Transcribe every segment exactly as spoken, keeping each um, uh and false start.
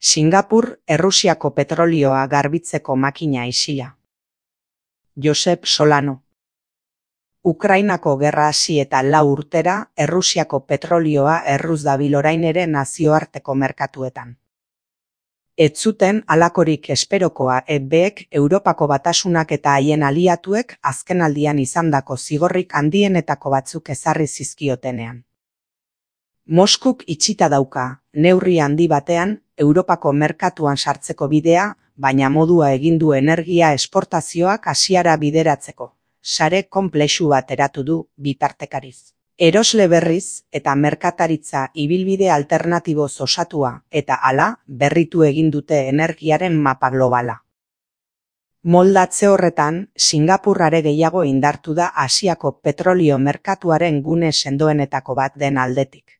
Singapur, Errusiako petrolioa garbitzeko makina isila. Josep Solano. Ukrainako gerra hasi eta lau urtera, Errusiako petrolioa erruz dabil orain ere nazioarteko merkatuetan. Ez zuten halakorik esperokoa E Bek, Europako Batasunak eta haien aliatuek azkenaldian izandako zigorrik handienetako batzuk ezarri zizkiotenean. Moskuk itxita dauka, neurri handi batean, Europako merkatuan sartzeko bidea, baina modua egin du energia esportazioak Asiara bideratzeko. Sare konplexu bat eratu du bitartekariz. Erosle berriz eta merkataritza ibilbide alternatiboz osatua eta hala berritu egin dute energiaren mapa globala. Moldatze horretan, Singapur are gehiago indartu da Asiako petrolio merkatuaren gune sendoenetako bat den aldetik.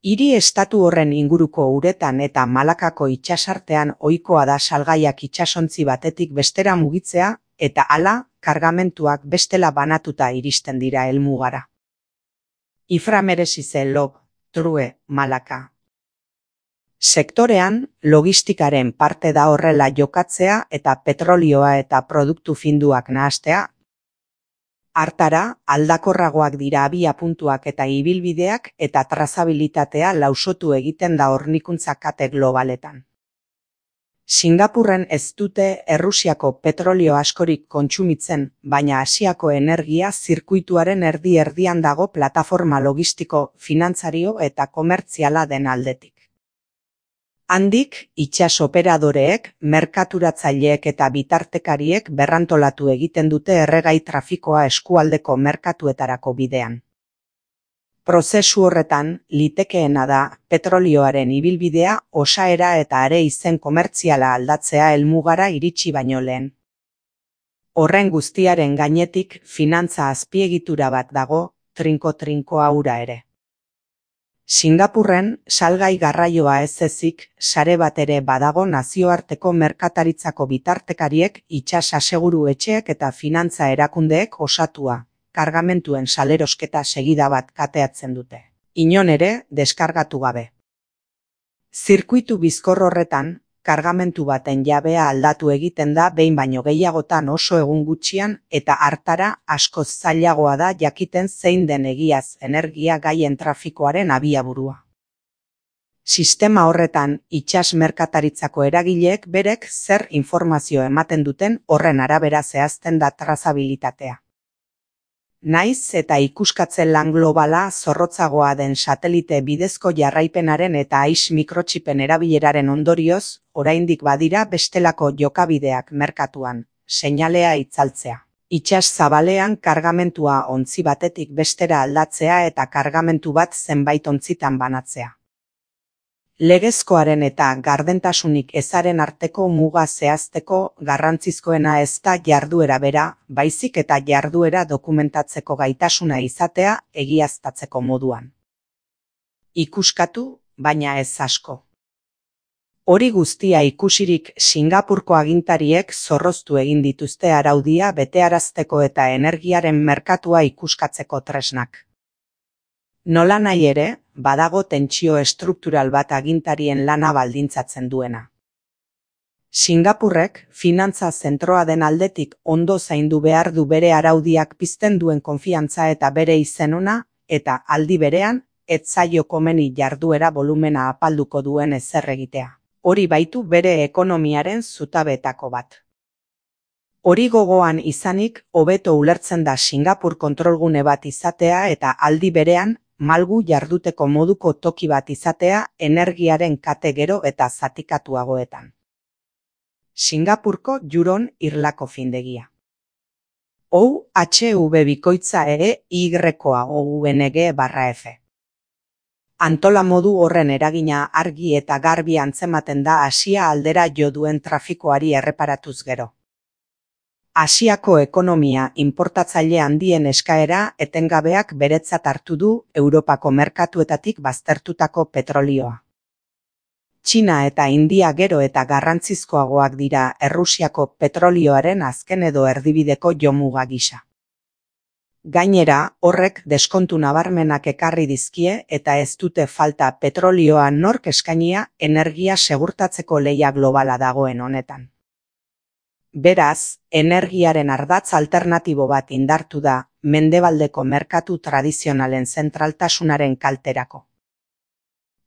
Hiri estatu horren inguruko uretan eta Malakako itsasartean ohikoa da salgaiak itsasontzi batetik bestera mugitzea eta hala kargamentuak bestela banatuta iristen dira helmugara. Ifra merezi zen Lob, True, Malaka. Sektorean, logistikaren parte da horrela jokatzea eta petrolioa eta produktu finduak nahastea. Hartara, aldakorragoak dira abiapuntuak eta ibilbideak eta trazabilitatea lausotu egiten da hornikuntza kate globaletan. Singapurren ez dute Errusiako petrolio askorik kontsumitzen, baina Asiako energia zirkuituaren erdi-erdian dago plataforma logistiko, finantzario eta komertziala den aldetik. Handik, itsas operadoreek, merkaturatzaileek eta bitartekariek berrantolatu egiten dute erregai trafikoa eskualdeko merkatuetarako bidean. Prozesu horretan, litekeena da petrolioaren ibilbidea osaera eta are izen komertziala aldatzea helmugara iritsi baino lehen. Horren guztiaren gainetik finantza azpiegitura bat dago, trinko-trinkoa hura ere. Singapurren, salgai garraioa ez ezik, sare bat ere badago nazioarteko merkataritzako bitartekariek, itsas aseguru etxeek eta finantza erakundeek osatua. Kargamentuen salerosketa segida bat kateatzen dute. Inon ere, deskargatu gabe. Zirkuitu bizkor horretan, kargamentu baten jabea aldatu egiten da behin baino gehiagotan oso egun gutxian eta hartara askoz zailagoa da jakiten zein den egiaz energia gaien trafikoaren abiaburua. Sistema horretan, itsas merkataritzako eragileek berek zer informazio ematen duten horren arabera zehazten da trazabilitatea. Naiz eta ikuskatzen lan globala zorrotzagoa den satelite bidezko jarraipenaren eta ais mikrotxipen erabileraren ondorioz, oraindik badira bestelako jokabideak merkatuan, seinalea itzaltzea. Itsas zabalean kargamentua ontzi batetik bestera aldatzea eta kargamentu bat zenbait ontzitan banatzea. Legezkoaren eta gardentasunik ezaren arteko muga zehazteko garrantzizkoena ez da jarduera bera, baizik eta jarduera dokumentatzeko gaitasuna izatea egiaztatzeko moduan. Ikuskatu, baina ez asko. Hori guztia ikusirik Singapurko agintariek zorroztu egin dituzte araudia betearazteko eta energiaren merkatua ikuskatzeko tresnak. Nola nahi ere, badago tentsio estruktural bat agintarien lana baldintzatzen duena. Singapurrek, finantza zentroa den aldetik ondo zaindu behar du bere araudiak pizten duen konfiantza eta bere izenona, eta aldi berean, ez zaio komeni jarduera volumena apalduko duen ezer egitea. Hori baitu bere ekonomiaren zutabeetako bat. Hori gogoan izanik, hobeto ulertzen da Singapur kontrolgune bat izatea eta aldi berean, malgu jarduteko moduko toki bat izatea energiaren kate gero eta zatikatuagoetan. Singapurko Juron irlako findegia. O H V bikoitza ere Y-koa O U N G barra F. Antola modu horren eragina argi eta garbi antzematen da Asia aldera jo duen trafikoari erreparatuz gero. Asiako ekonomia inportatzaile handien eskaera etengabeak beretzat hartu du Europako merkatuetatik baztertutako petrolioa. Txina eta India gero eta garrantzizkoagoak dira Errusiako petrolioaren azken edo erdibideko jomuga gisa. Gainera, horrek deskontu nabarmenak ekarri dizkie eta ez dute falta petrolioa nork eskainia energia segurtatzeko lehia globala dagoen honetan. Beraz, energiaren ardatz alternatibo bat indartu da mendebaldeko merkatu tradizionalen zentraltasunaren kalterako.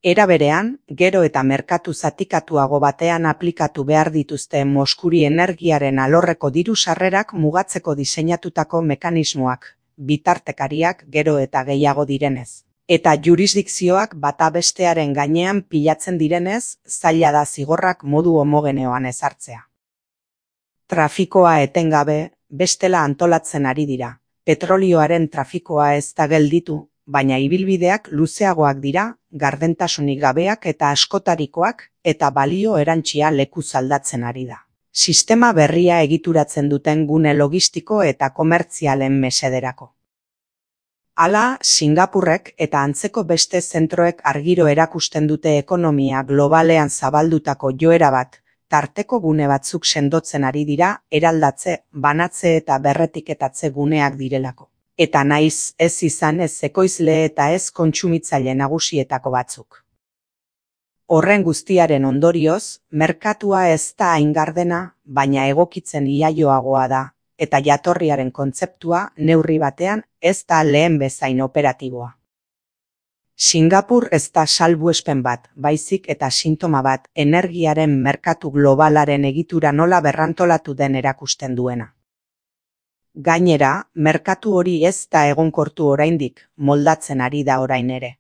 Era berean, gero eta merkatu zatikatuago batean aplikatu behar dituzte Moskuri energiaren alorreko diru sarrerak mugatzeko diseinatutako mekanismoak, bitartekariak gero eta gehiago direnez. Eta jurisdikzioak bata bestearen gainean pilatzen direnez, zaila da zigorrak modu homogeneoan ezartzea. Trafikoa etengabe, bestela antolatzen ari dira. Petrolioaren trafikoa ez da gelditu, baina ibilbideak luzeagoak dira, gardentasunik gabeak eta askotarikoak, eta balio erantsia lekuz aldatzen ari da. Sistema berria egituratzen duten gune logistiko eta komertzialen mesederako. Hala, Singapurrek eta antzeko beste zentroek argiro erakusten dute ekonomia globalean zabaldutako joera bat, tarteko gune batzuk sendotzen ari dira, eraldatze, banatze eta berretiketatze guneak direlako. Eta naiz ez izan ez ekoizle eta ez kontsumitzaile nagusietako batzuk. Horren guztiaren ondorioz, merkatua ez da hain gardena, baina egokitzen iaioagoa da, eta jatorriaren kontzeptua neurri batean ez da lehen bezain operatiboa. Singapur ez da salbuespen bat, baizik eta sintoma bat energiaren merkatu globalaren egitura nola berrantolatu den erakusten duena. Gainera, merkatu hori ez da egonkortu oraindik, moldatzen ari da orain ere.